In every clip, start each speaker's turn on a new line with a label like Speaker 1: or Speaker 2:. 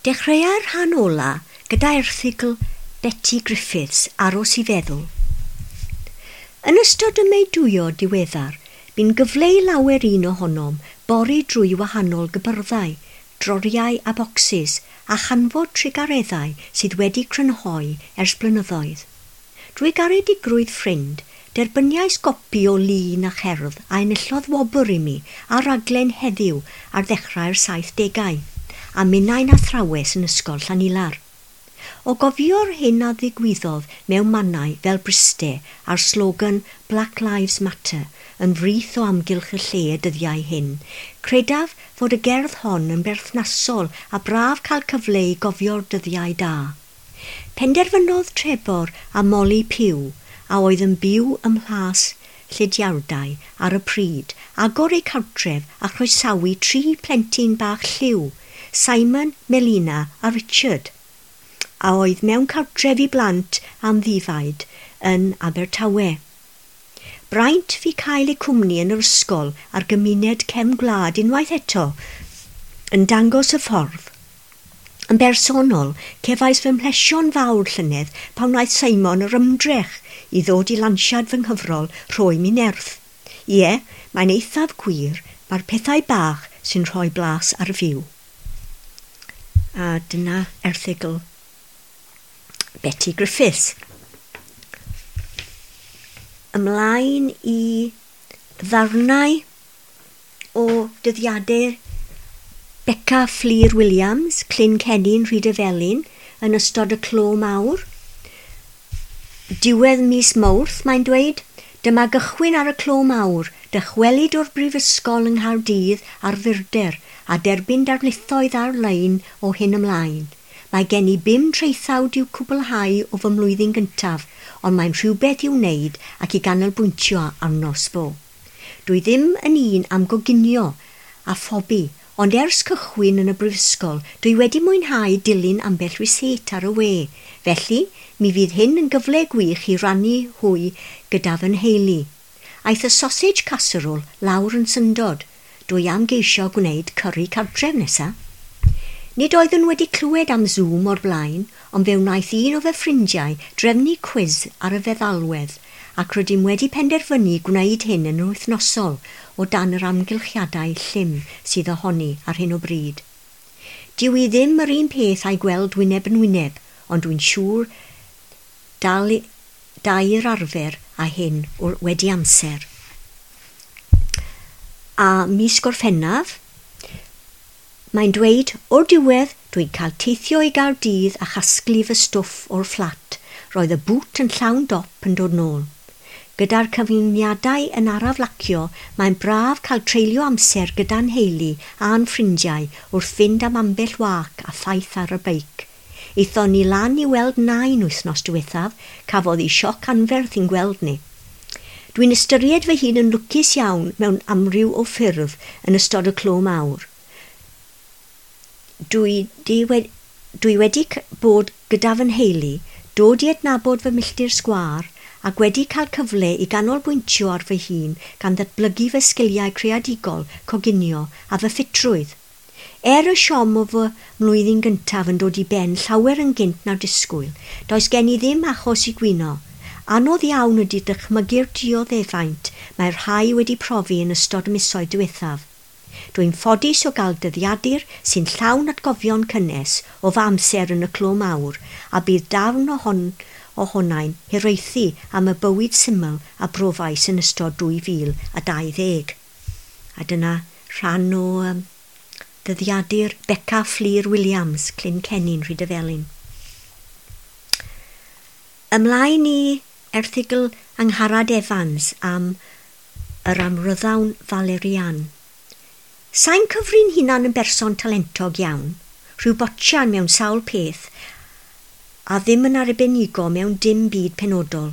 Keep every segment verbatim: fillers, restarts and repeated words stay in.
Speaker 1: Dechreuai'r rhan ola gyda erthygl Betty Griffiths, Aros i Feddwl. Yn ystod y meudwyo diweddar, bu'n gyfle i lawer un ohonom bori drwy wahanol gypyrddau, droriau a bocsys, a chanfod trugareddau sydd wedi crynhoi ers blynyddoedd. Drwy garedigrwydd ffrind, derbyniais gopi o lun a cherdd a enillodd wobr i mi ar raglen Heddiw ar ddechrau'r saithdegau, a minnau'n athrawes yn ysgol Llanilar. O gofio'r hyn a ddigwyddodd mewn mannau fel Bryste a'r slogan Black Lives Matter yn frith o amgylch y lle y dyddiau hyn, credaf fod y gerdd hon yn berthnasol a braf cael cyfle i gofio'r dyddiau da. Penderfynodd Trebor a Molly Pugh, a oedd yn byw ym Mhlas Llidiardau ar y pryd, agor eu cartref a chroesawu tri plentyn bach lliw, Simon, Melina a Richard, a oedd mewn cartref i blant amddifaid yn Abertawe. Braint fu cael eu cwmni yn yr ysgol a'r gymuned cefn gwlad unwaith eto yn dangos y ffordd. Yn bersonol, cefais fy mhlesio'n fawr llynedd pan wnaeth Simon yr ymdrech i ddod i lansiad fy nghyfrol Rhoi Mi Nerth. Ie, mae'n eithaf gwir, mae'r pethau bach sy'n rhoi blas ar fyw. A dyna erthygl Betty Griffiths. Ymlaen i ddarnau o dyddiadur Beca Fflur Williams, Clyn Cennin, Rhydyfelin, yn ystod y clo mawr. Diwedd mis Mawrth, mae'n dweud, dyma gychwyn ar y clo mawr, dychwelyd o'r brifysgol yng Nghaerdydd ar fyrder a derbyn darlithoedd ar-lein o hyn ymlaen. Mae gen i bum traethawd i'w cwblhau o fy mlwyddyn gyntaf, ond mae'n rhywbeth i'w wneud ac i ganolbwyntio arno sbo. Dwi ddim yn un am goginio a phobi, ond ers cychwyn yn y brifysgol, dwi wedi mwynhau dilyn ambell rysáit ar y we. Felly, mi fydd hyn yn gyfle gwych i rannu hwy gyda fy nheulu. Aeth y sausage casserole lawr yn syndod. Dwi am geisio gwneud curry cartref nesaf. Nid oeddwn wedi clywed am Zoom o'r blaen, ond fe wnaeth un o fy ffrindiau drefnu cwis ar y feddalwedd, ac rydym wedi penderfynu gwneud hyn yn wythnosol o dan yr amgylchiadau llym sydd ohoni ar hyn o bryd. Dyw i ddim yr un peth a'i gweld wyneb yn wyneb, ond dwi'n siŵr dal dai'r arfer a hyn wedi amser. A mis Gorffennaf, mae'n dweud, o'r diwedd, dwi'n cael teithio i Gaerdydd a chasglu fy stwff o'r fflat. Roedd y bŵt yn llawn dop yn dod nôl. Gyda'r cyfyngiadau yn araf lacio, mae'n braf cael treulio amser gyda'n nheulu a'n ffrindiau wrth fynd am ambell wac a thaith ar y beic. Aethon ni lan i weld nain wythnos diwethaf, cafodd hi sioc anferth i'n gweld ni. Dwi'n ystyried fy hun yn lwcus iawn mewn amryw o ffyrdd yn ystod y clo mawr. Dwi, di wedi, dwi wedi bod gyda fy nheulu, dod i adnabod fy milltir sgwâr, ac wedi cael cyfle i ganolbwyntio ar fy hun gan ddatblygu fy sgiliau creadigol, coginio a fy ffitrwydd. Er y siom o fy mlwyddyn gyntaf yn dod i ben llawer yn gynt na'r disgwyl, does gen i ddim achos i gwyno. Anodd iawn ydy dychmygu'r dioddefaint mae'r rhai wedi profi yn ystod y misoedd diwethaf. Dwi'n ffodus o gael dyddiadur sy'n llawn atgofion cynnes o fy amser yn y clo mawr, a bydd darn ohon, ohonau'n hiraethu am y bywyd syml a brofais yn ystod dwy fil a dau ddeg. A dyna rhan o um, dyddiadur Beca Fflur Williams, Clyn Cennin, Rhydyfelin. Ymlaen i erthygl Angharad Evans am yr amryddawn Valerian. Sa'n cyfri'n hunan yn berson talentog iawn, rhyw botsian mewn sawl peth, a ddim yn arbenigo mewn dim byd penodol.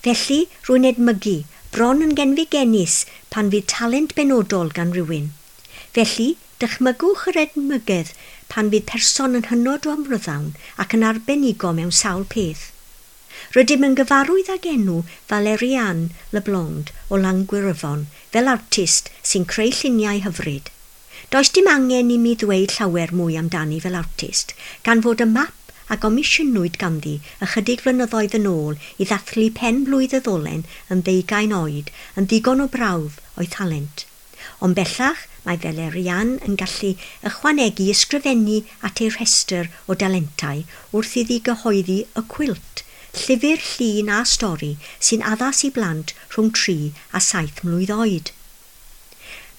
Speaker 1: Felly, rwy'n edmygu, bron yn genfigennus pan fydd talent benodol gan rywun. Felly, dychmygwch yr edmygedd pan fydd person yn hynod o amryddawn ac yn arbenigo mewn sawl peth. Rydym yn gyfarwydd ag enw Valeriane Leblond o Langwyryfon fel artist sy'n creu lluniau hyfryd. Does dim angen i mi ddweud llawer mwy amdani fel artist, gan fod y map a gomisiynwyd ganddi ychydig flynyddoedd yn ôl i ddathlu pen blwydd y ddolen yn ddeugain oed yn ddigon o brawf o'i thalent. Ond bellach mae Valerian yn gallu ychwanegu ysgrifennu at ei rhestr o dalentau wrth iddi gyhoeddi Y Cwilt, llyfr llun a stori sy'n addas i blant rhwng tri a saith mlwydd oed.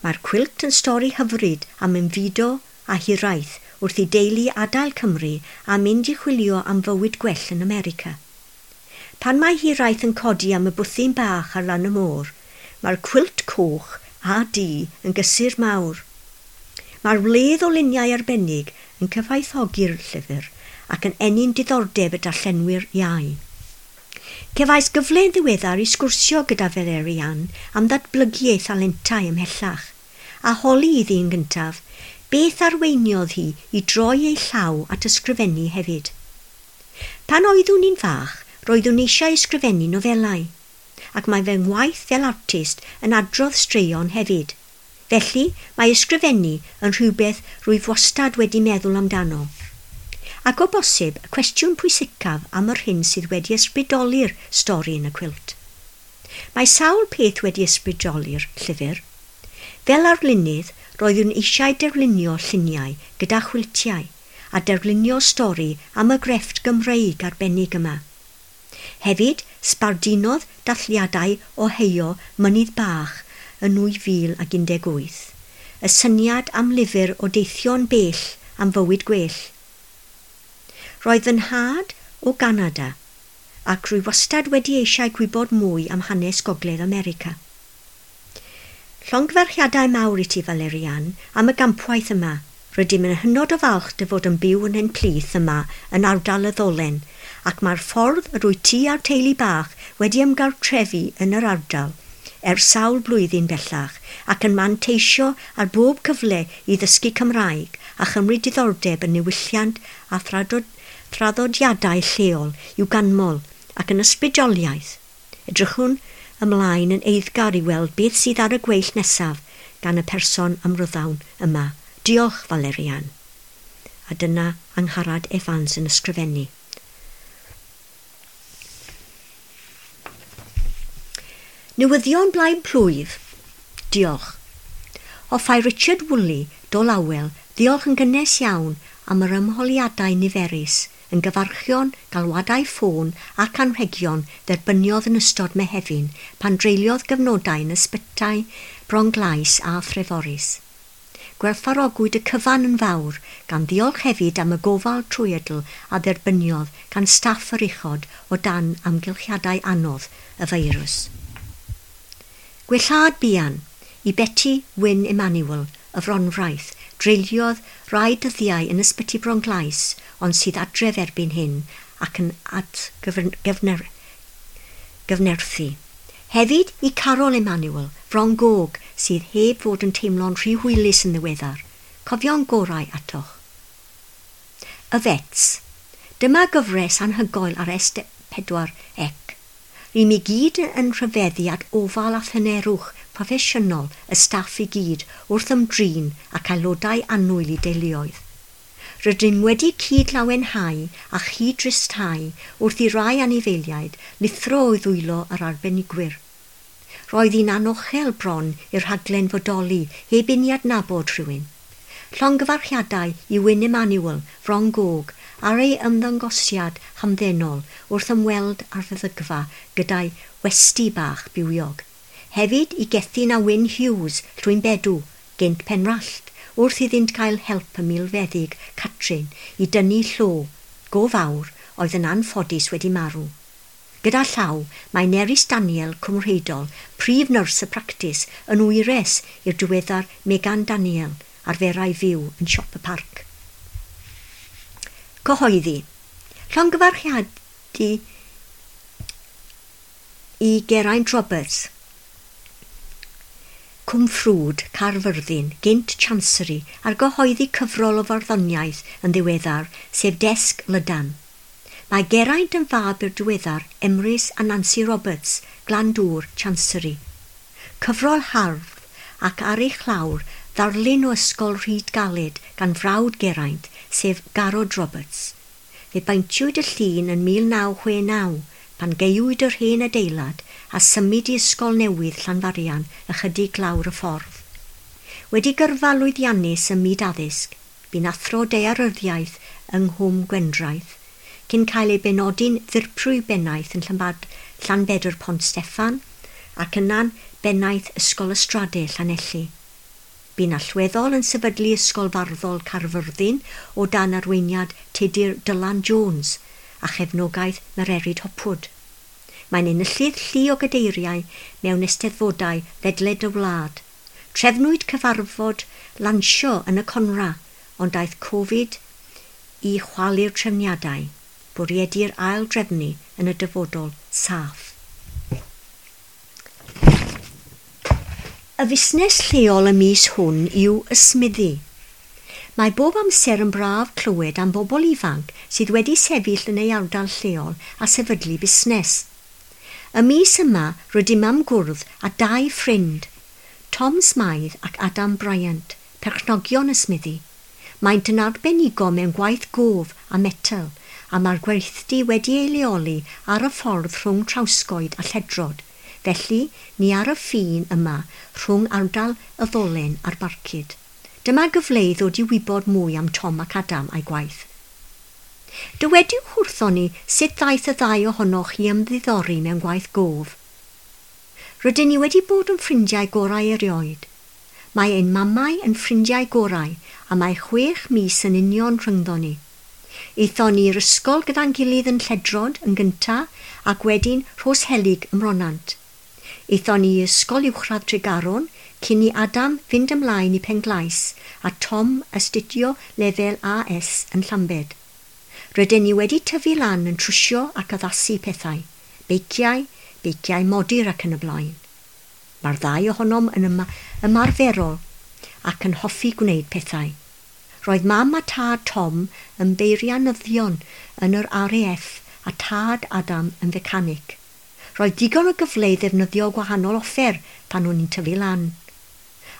Speaker 1: Mae'r cwilt yn stori hyfryd am ymfudo a hiraeth wrth i deulu adael Cymru a mynd i chwilio am fywyd gwell yn America. Pan mae hiraeth yn codi am y bwthyn bach ar lan y môr, mae'r cwilt coch a du yn gysur mawr. Mae'r wledd o luniau arbennig yn cyfoethogi'r llyfr ac yn ennyn diddordeb y darllenwyr iau. Cefais gyfle yn ddiweddar i sgwrsio gyda Valerian am ddatblygu ei thalentau ymhellach, a holi iddi yn gyntaf, beth arweiniodd hi i droi ei llaw at ysgrifennu hefyd. Pan oeddwn i'n fach, roeddwn eisiau ysgrifennu nofelau, ac mae fy ngwaith fel artist yn adrodd straeon hefyd. Felly, mae ysgrifennu yn rhywbeth rwyf wastad wedi meddwl amdano. Ac o bosib, y cwestiwn pwysicaf am yr hyn sydd wedi ysbrydoli'r stori yn y cwilt. Mae sawl peth wedi ysbrydoli'r llyfr. Fel arlunydd, roeddwn eisiau darlunio lluniau gyda chwiltiau a darlunio stori am y grefft Gymreig arbennig yma. Hefyd, sbardunodd dathliadau Ohio Mynydd Bach yn nwy fil ac un deg wyth, y syniad am lyfr o deithio'n bell am fywyd gwell. Roedd fy nhad o Ganada ac rwy wastad wedi eisiau gwybod mwy am hanes Gogledd America. Llongyfarchiadau mawr i ti, Valerian, am y gampwaith yma. Rydym yn hynod o falch dy fod yn byw yn ein plith yma yn ardal y Ddolen, ac mae'r ffordd yr wyt ti a'r teulu bach wedi ymgartrefu yn yr ardal ers sawl blwyddyn bellach ac yn manteisio ar bob cyfle i ddysgu Cymraeg a chymryd diddordeb yn niwylliant a thraddodiadau lleol i'w ganmol ac yn ysbrydoliaeth. Edrychwn ymlaen yn eiddgar i weld beth sydd ar y gweill nesaf gan y person amryddawn yma. Diolch, Valerian. A dyna Angharad Evans yn ysgrifennu. Newyddion blaen plwyf. Diolch. Hoffai Richard Woolley, Dolawel, ddiolch yn gynnes iawn am yr ymholiadau niferus, yn gyfarchion, galwadau ffôn ac anrhegion dderbyniodd yn ystod Mehefin pan dreuliodd gyfnodau yn ysbytai Bronglais a Threforys. Gwerthfawrogwyd y cyfan yn fawr, gan ddiolch hefyd am y gofal trwyadl a dderbyniodd gan staff yr uchod o dan amgylchiadau anodd y feirws. Gwellhad buan i Betty Wyn Emmanuel, y Fronfraith, dreuliodd rai dyddiau yn ysbyty Bronglais, ond sydd adref erbyn hyn ac yn atgyfnerthu. Hefyd i Carol Emmanuel, Fron Gog, sydd heb fod yn teimlo'n rhy hwylus yn ddiweddar. Cofio'n gorau atoch. Y Vets. Dyma gyfres anhygoel ar S pedwar C. Rym i gyd yn rhyfeddu at ofal a thynerwch proffesiynol y staff i gyd wrth ymdrin ac aelodau annwyl i deuluoedd. Rydym wedi cyd-lawenhau a chyd-dristhau wrth i rai anifeiliaid lithro o'i ddwylo yr arbenigwyr. Roedd hi'n anochel bron i'r rhaglen fodoli heb i ni adnabod rhywun. Llongyfarchiadau i Wyn Emmanuel, Fron Gog, ar ei ymddangosiad hamddenol wrth ymweld â'r feddygfa gyda'i westy bach bywiog. Hefyd i Gethin a Wyn Hughes, Llwynbedw, gynt Penrallt, wrth iddynt gael help y milfeddyg Catrin i dynnu llo go fawr oedd yn anffodus wedi marw. Gyda llaw, mae Nerys Daniel Cwmrheidol, prif nyrs y practis, yn wyres i'r diweddar Megan Daniel, arferai fyw yn siop y parc. Cyhoeddi. Llongyfarchiadu i Geraint Roberts, Cwmffrwd, Caerfyrddin, gynt Chancery, ar gyhoeddi cyfrol o farddoniaeth yn ddiweddar, sef Desg Lydan. Mae Geraint yn fab i'r diweddar Emrys a Nancy Roberts, Glandŵr, Chancery. Cyfrol hardd ac ar ei chlawr ddarlun o ysgol Rhyd Galed gan frawd Geraint, sef Garod Roberts. Fe baentiwyd y llun yn mil naw chwe naw pan gaewyd yr hen adeilad a symud i ysgol newydd Llanfarian ychydig lawr y ffordd. Wedi gyrfa lwyddiannus ym myd addysg, bu'n athro daearyddiaeth yng Nghwm Gwendraeth, cyn cael ei benodi'n ddirprwy bennaeth yn Llanbad, Llanbedr Pont Steffan ac yna'n bennaeth Ysgol Ystrade Llanelli. Bu'n allweddol yn sefydlu Ysgol Farddol Caerfyrddin o dan arweiniad Tudur Dylan Jones a chefnogaeth Mererid Hopwood. Mae'n enillydd llu o gadeiriau mewn eisteddfodau ledled y wlad. Trefnwyd cyfarfod lansio yn y Conra, ond daeth Covid i chwalu'r trefniadau. Bwriedir ail drefnu yn y dyfodol saff. Y fusnes lleol y mis hwn yw ysmuddu. Mae bob amser yn braf clywed am bobl ifanc sydd wedi sefyll yn ei ardal lleol a sefydlu busnes. Y mis yma rydym am gwrdd â dau ffrind, Tom Smythe ac Adam Bryant, perchnogion ysmuddu. Maent yn arbenigo mewn gwaith gof a metel, a mae'r gweithdy wedi ei leoli ar y ffordd rhwng Trawsgoed a Lledrod. Felly, ni ar y ffin yma rhwng ardal y Ddolen a'r Barcud. Dyma gyfle i ddod i wybod mwy am Tom ac Adam a'i gwaith. Dywediwch wrthon ni sut ddaeth y ddau ohonoch i ymddiddori mewn gwaith gof. Rydyn ni wedi bod yn ffrindiau gorau erioed. Mae ein mamau yn ffrindiau gorau a mae chwech mis yn union rhyngddon ni. Aethon ni i'r ysgol gyda'n gilydd yn Lledrod yn gynta ac wedyn Rhosehelyg ym Mronant. Aethon ni i ysgol uwchradd Tregaron cyn i Adam fynd ymlaen i Penglais a Tom astudio lefel A S yn Llambed. Rydyn ni wedi tyfu lan yn trwsio ac addasu pethau, beiciau, beiciau modur ac yn y blaen. Mae'r ddau ohonom yn yma, ymarferol ac yn hoffi gwneud pethau. Roedd mam a tad Tom yn beirianyddion yn yr R A F a tad Adam yn fecanic. Roedd digon o gyfle i ddefnyddio gwahanol offer pan o'n i'n tyfu lan.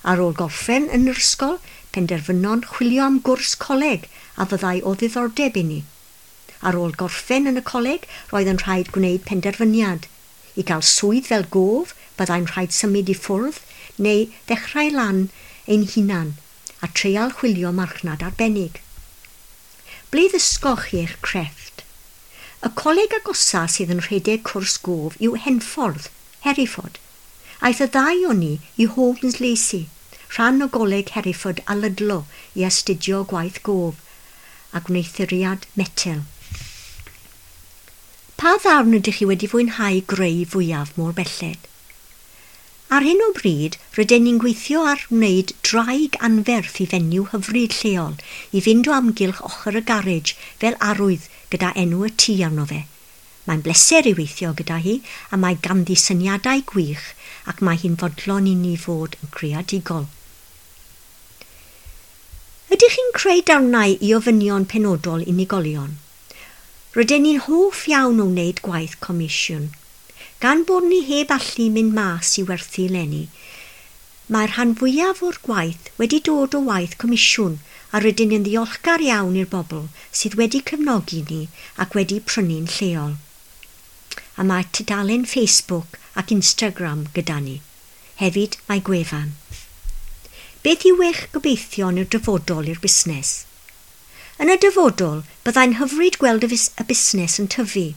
Speaker 1: Ar ôl gorffen yn yr ysgol, penderfynon chwilio am gwrs coleg a fyddai o ddiddordeb i ni. Ar ôl gorffen yn y coleg, roedd yn rhaid gwneud penderfyniad. I gael swydd fel gof, byddai'n rhaid symud i ffwrdd neu ddechrau lan ein hunan a treial chwilio marchnad arbennig. Ble ddysgoch chi eich crefft? Y coleg agosa sydd yn rhedeg cwrs gof yw Henffordd, Hereford. Aeth y ddau o ni i Holmes Lacey, rhan o goleg Hereford a Ludlow i astudio gwaith gof a gwneuthuriad metel. Pa ddarn ydych chi wedi fwynhau greu fwyaf mor belled? Ar hyn o bryd, rydyn ni'n gweithio ar wneud draig anferth i fenyw hyfryd lleol i fynd o amgylch ochr y garej fel arwydd gyda enw y tŷ arno fe. Mae'n bleser i weithio gyda hi a mae ganddi syniadau gwych ac mae hi'n fodlon i ni fod yn creadigol. Ydych chi'n creu darnau i ofynion penodol unigolion? Rydyn ni'n hoff iawn o wneud gwaith comisiwn. Gan bod ni heb allu mynd mas i werthu leni, mae'r rhan fwyaf o'r gwaith wedi dod o waith comisiwn a rydyn ni'n ddiolchgar iawn i'r bobl sydd wedi cefnogi ni ac wedi prynu'n lleol. A mae tudalen Facebook ac Instagram gyda ni. Hefyd mae gwefan. Beth yw eich gobeithion i'r dyfodol i'r busnes? Yn y dyfodol, byddai'n hyfryd gweld y, fus- y busnes yn tyfu.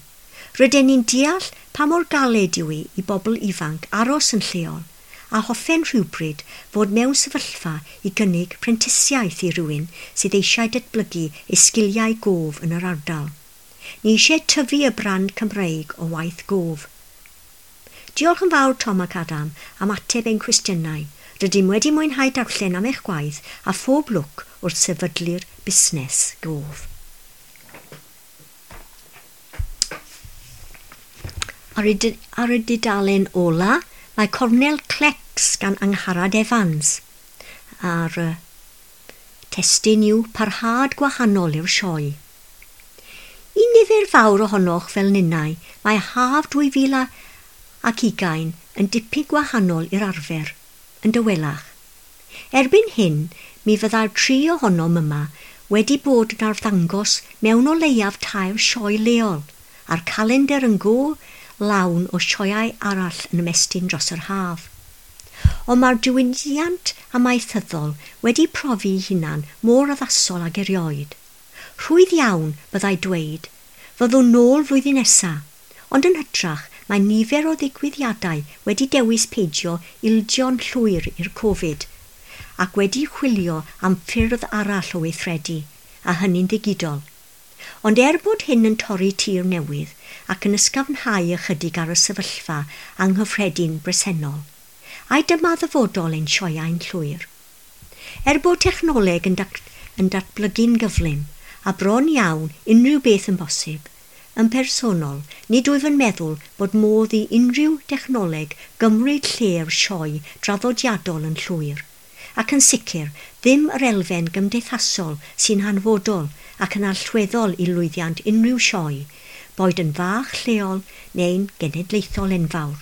Speaker 1: Rydyn ni'n deall pa mor galed yw hi i bobl ifanc aros yn lleol a hoffen rhywbryd fod mewn sefyllfa i gynnig prentisiaeth i rywun sydd eisiau datblygu ei sgiliau gof yn yr ardal. Ni eisiau tyfu y brand Cymreig o waith gof. Diolch yn fawr Tom ac Adam am ateb ein cwestiynau. Rydym wedi mwynhau darllen am eich gwaith a phob lwc wrth sefydlu'r busnes gof. Ar y, ar y dudalen ola, mae Cornel Clecs gan Angharad Evans. A'r uh, testun yw parhad gwahanol i'r sioe. I nifer fawr ohonoch fel ninnau, mae haf dwy fil ac ugain yn dipyn gwahanol i'r arfer, yn dawelach. Erbyn hyn, mi fyddai'r tri ohonom yma wedi bod yn arddangos mewn o leiaf tair sioe leol, a'r calendr yn go lawn o sioeau arall yn ymestyn dros yr haf. Ond mae'r diwydiant amaethyddol wedi profi ei hunan mor addasol ag erioed. Rhwydd iawn byddai dweud, fyddwn nôl flwyddyn nesa, ond yn hytrach mae nifer o ddigwyddiadau wedi dewis peidio ildio'n llwyr i'r Covid ac wedi chwilio am ffyrdd arall o weithredu, a hynny'n ddigidol. Ond er bod hyn yn torri tir newydd ac yn ysgafnhau ychydig ar y sefyllfa anghyffredin bresennol, ai dyma ddyfodol ein sioeau'n llwyr. Er bod technoleg yn, dat yn datblygu'n gyflym a bron iawn unrhyw beth yn bosib, yn personol, nid wyf yn meddwl bod modd i unrhyw dechnoleg gymryd lle'r sioe draddodiadol yn llwyr, ac yn sicr ddim yr elfen gymdeithasol sy'n hanfodol ac yn allweddol i lwyddiant unrhyw sioe, boed yn fach lleol neu'n genedlaethol enfawr.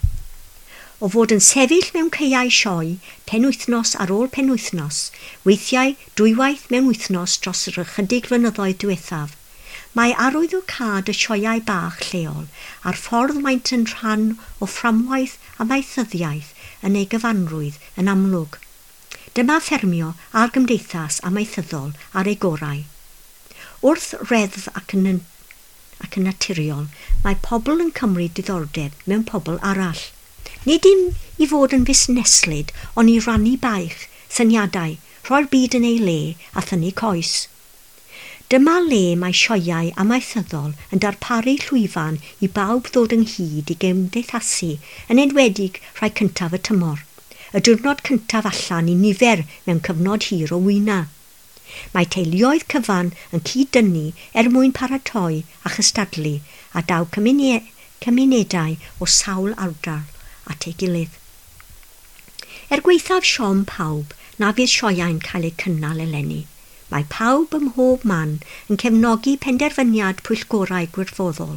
Speaker 1: O fod yn sefyll mewn caeau sioe penwythnos ar ôl penwythnos, weithiau dwywaith mewn wythnos dros yr ychydig flynyddoedd diwethaf, mae arwyddocâd y sioeau bach lleol a'r ffordd maent yn rhan o fframwaith amaethyddiaeth yn ei gyfanrwydd yn amlwg. Dyma ffermio a'r gymdeithas amaethyddol ar ei gorau. Wrth reddf ac yn, ac yn naturiol, mae pobl yn cymryd diddordeb mewn pobl arall. Nid dim i fod yn fusneslyd, ond i rannu baich, syniadau, rhoi'r byd yn ei le a thynnu coes. Dyma le mae sioeau amaethyddol yn darparu llwyfan i bawb ddod ynghyd i gymdeithasu, yn enwedig rhai cyntaf y tymor, y diwrnod cyntaf allan i nifer mewn cyfnod hir o wyna. Mae teuluoedd cyfan yn cyd-dynnu er mwyn paratoi a chystadlu a daw cymunedau o sawl ardal at ei gilydd. Er gwaethaf siom pawb na fydd sioeau'n cael eu cynnal eleni, mae pawb ym mhob man yn cefnogi penderfyniad pwyllgorau gwirfoddol,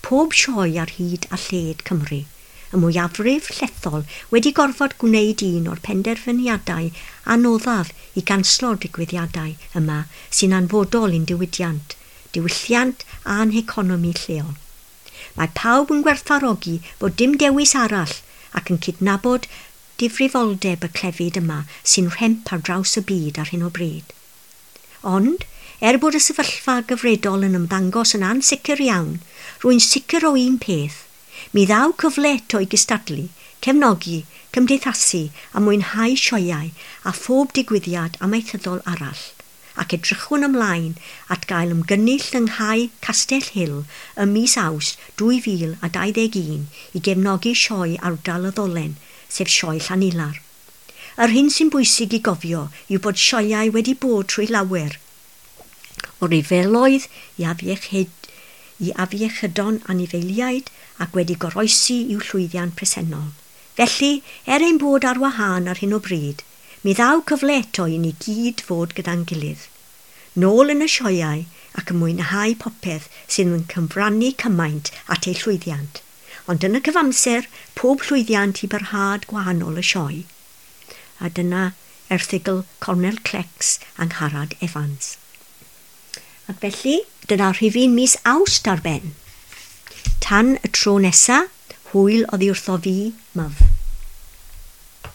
Speaker 1: pob sioe ar hyd a lled Cymru. Y mwyafrif llethol wedi gorfod gwneud un o'r penderfyniadau anoddaf i ganslo'r digwyddiadau yma sy'n anfodol i'n diwydiant, diwylliant a'n heconomi lleol. Mae pawb yn gwerthfawrogi bod dim dewis arall ac yn cydnabod difrifoldeb y clefyd yma sy'n rhemp ar draws y byd ar hyn o bryd. Ond, er bod y sefyllfa gyfredol yn ymddangos yn ansicr iawn, rwy'n sicr o un peth. Mi ddaw cyfle eto i gystadlu, cefnogi, cymdeithasu a mwynhau sioeau a phob digwyddiad amaethyddol arall, ac edrychwn ymlaen at gael ymgynnull yng Nghae Castell Hill ym mis Awst dwy fil a dau ddeg un i gefnogi sioe ardal y Ddolen, sef Sioe Llanilar. Yr hyn sy'n bwysig i gofio yw bod sioeau wedi bod trwy lawer, o ryfeloedd i afiechyd, i afiechydon anifeiliaid ac wedi goroesi i'w llwyddiant presennol. Felly, er ein bod ar wahân ar hyn o bryd, mi ddaw cyfle eto i ni gyd fod gyda'n gilydd. Nôl yn y sioeau ac yn mwynhau popeth sydd yn cyfrannu cymaint at ei llwyddiant. Ond yn y cyfamser, pob llwyddiant i barhad gwahanol y sioe. A dyna erthygl Cornel Clecs Angharad Evans. Ac felly, dyna rhifyn mis Awst ar ben. Tan y tro nesa, hwyl oddi wrtho fi, Myf.